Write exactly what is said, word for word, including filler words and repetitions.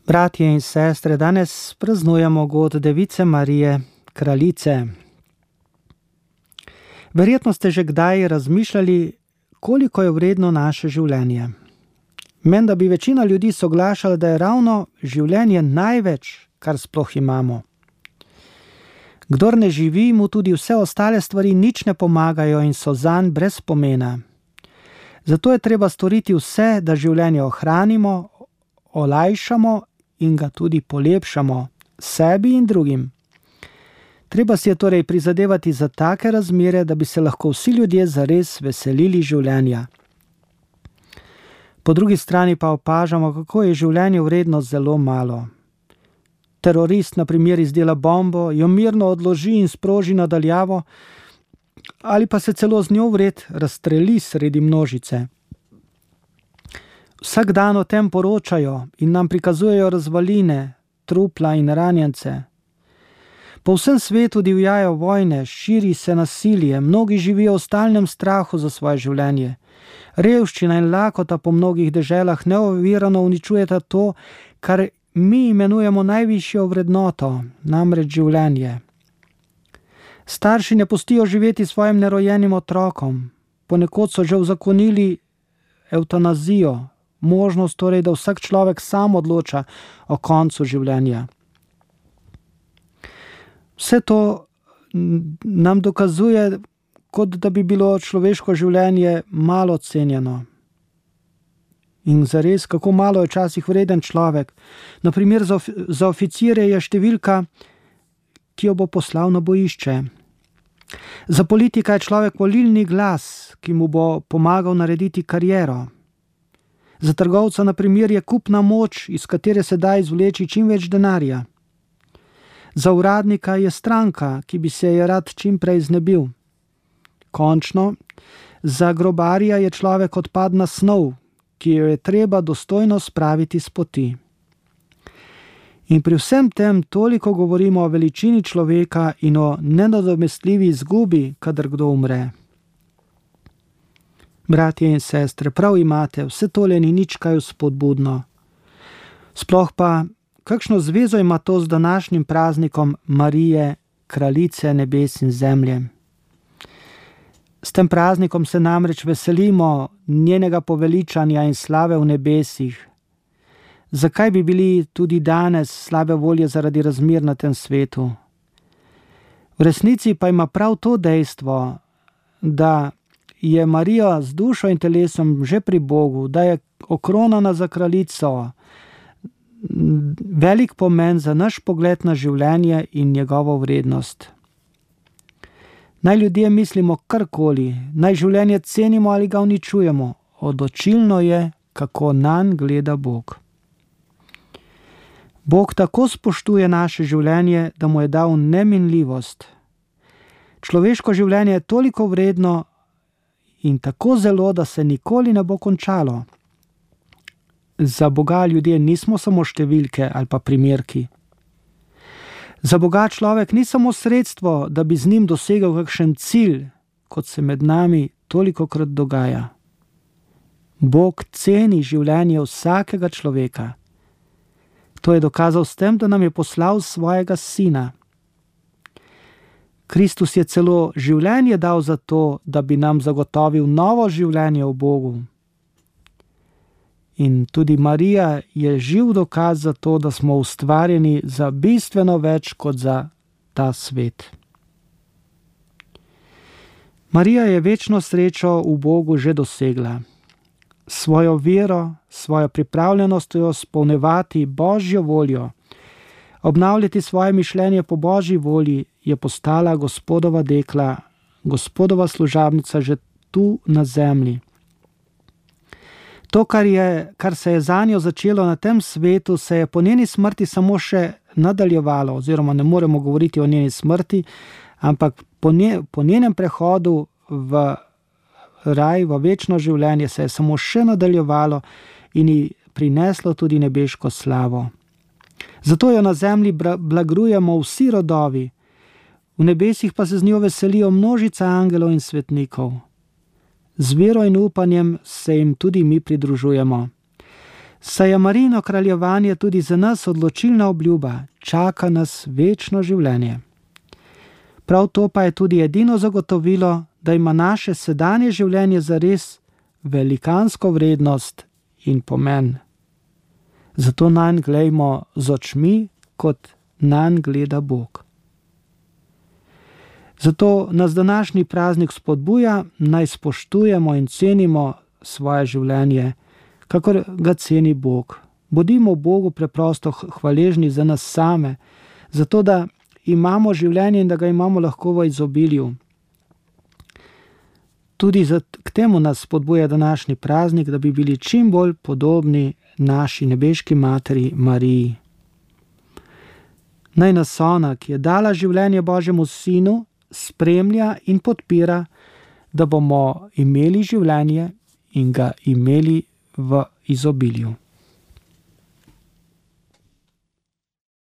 Bratje in sestre, danes praznujemo god Device Marije, kraljice. Verjetno ste že kdaj razmišljali, koliko je vredno naše življenje. Menda bi večina ljudi soglašala, da je ravno življenje največ, kar sploh imamo. Kdor ne živi, mu tudi vse ostale stvari nič ne pomagajo in so zanj brez pomena. Zato je treba storiti vse, da življenje ohranimo, olajšamo in ga tudi polepšamo sebi in drugim. Treba si je torej prizadevati za take razmere, da bi se lahko vsi ljudje zares veselili življenja. Po drugi strani pa opažamo, kako je življenje vredno zelo malo. Terorist na primer izdela bombo, jo mirno odloži in sproži nadaljavo, ali pa se celo z njo vred razstreli sredi množice. Vsak dan o tem poročajo in nam prikazujejo razvaline, trupla in ranjence. Po vsem svetu divjajo vojne, širi se nasilje, mnogi živijo v stalnem strahu za svoje življenje. Revščina in lakota po mnogih deželah neovirano uničujeta to, kar mi imenujemo najvišjo vrednoto, namreč življenje. Starši ne pustijo živeti svojim nerojenim otrokom. Ponekod so že uzakonili evtanazijo, možnost torej, da vsak človek sam odloča o koncu življenja. Vse to nam dokazuje, kot da bi bilo človeško življenje malo cenjeno. In zares, kako malo je včasih vreden človek. Na primer, za, of- za oficirje je številka, ki jo bo poslal na bojišče. Za politika je človek volilni glas, ki mu bo pomagal narediti kariero. Za trgovca, na primer, je kupna moč, iz katere se da izvleči čim več denarja. Za uradnika je stranka, ki bi se je rad čim prej znebil. Končno, za grobarja je človek odpadna snov, ki jo je treba dostojno spraviti s poti. In pri vsem tem toliko govorimo o veličini človeka in o nenadomestljivi izgubi, kadar kdo umre. Bratje in sestre, prav imate, vse tole ni nič kaj vzpodbudno. Sploh pa, kakšno zvezo ima to z današnjim praznikom Marije, kraljice nebes in zemlje? S tem praznikom se namreč veselimo njenega poveličanja in slave v nebesih. Zakaj bi bili tudi danes slabe volje zaradi razmer na tem svetu? V resnici pa ima prav to dejstvo, da je Marija z dušo in telesom že pri Bogu, da je okronana za kraljico, velik pomen za naš pogled na življenje in njegovo vrednost. Naj ljudje mislimo karkoli, naj življenje cenimo ali ga uničujemo, odločilno je, kako nanj gleda Bog. Bog tako spoštuje naše življenje, da mu je dal neminljivost. Človeško življenje je toliko vredno in tako zelo, da se nikoli ne bo končalo. Za Boga ljudje nismo samo številke ali pa primerki. Za Boga človek ni samo sredstvo, da bi z njim dosegel kakšen cilj, kot se med nami tolikokrat dogaja. Bog ceni življenje vsakega človeka. To je dokazal s tem, da nam je poslal svojega sina. Kristus je celo življenje dal za to, da bi nam zagotovil novo življenje v Bogu. In tudi Marija je živ dokaz za to, da smo ustvarjeni za bistveno več kot za ta svet. Marija je večno srečo v Bogu že dosegla. Svojo vero, svojo pripravljenostjo spolnevati Božjo voljo, obnavljati svoje mišljenje po Božji volji, je postala Gospodova dekla, Gospodova služabnica že tu na zemlji. To, kar, je, kar se je zanjo začelo na tem svetu, se je po njeni smrti samo še nadaljevalo, oziroma ne moremo govoriti o njeni smrti, ampak po, nje, po njenem prehodu v raj, v večno življenje se je samo še nadaljevalo in ji prineslo tudi nebeško slavo. Zato jo na zemlji blagrujemo vsi rodovi, v nebesih pa se z njo veselijo množica angelov in svetnikov. Z vero in upanjem se jim tudi mi pridružujemo. Saj je Marijino kraljevanje tudi za nas odločilna obljuba, čaka nas večno življenje. Prav to pa je tudi edino zagotovilo, da ima naše sedanje življenje zares velikansko vrednost in pomen. Zato nanj glejmo z očmi, kot nanj gleda Bog. Zato nas današnji praznik spodbuja, naj spoštujemo in cenimo svoje življenje, kakor ga ceni Bog. Bodimo Bogu preprosto hvaležni za nas same, zato da imamo življenje in da ga imamo lahko v izobilju. Tudi k temu nas spodbuja današnji praznik, da bi bili čim bolj podobni naši nebeški materi Mariji. Naj nas ona, ki je dala življenje Božjemu Sinu, spremlja in podpira, da bomo imeli življenje in ga imeli v izobilju.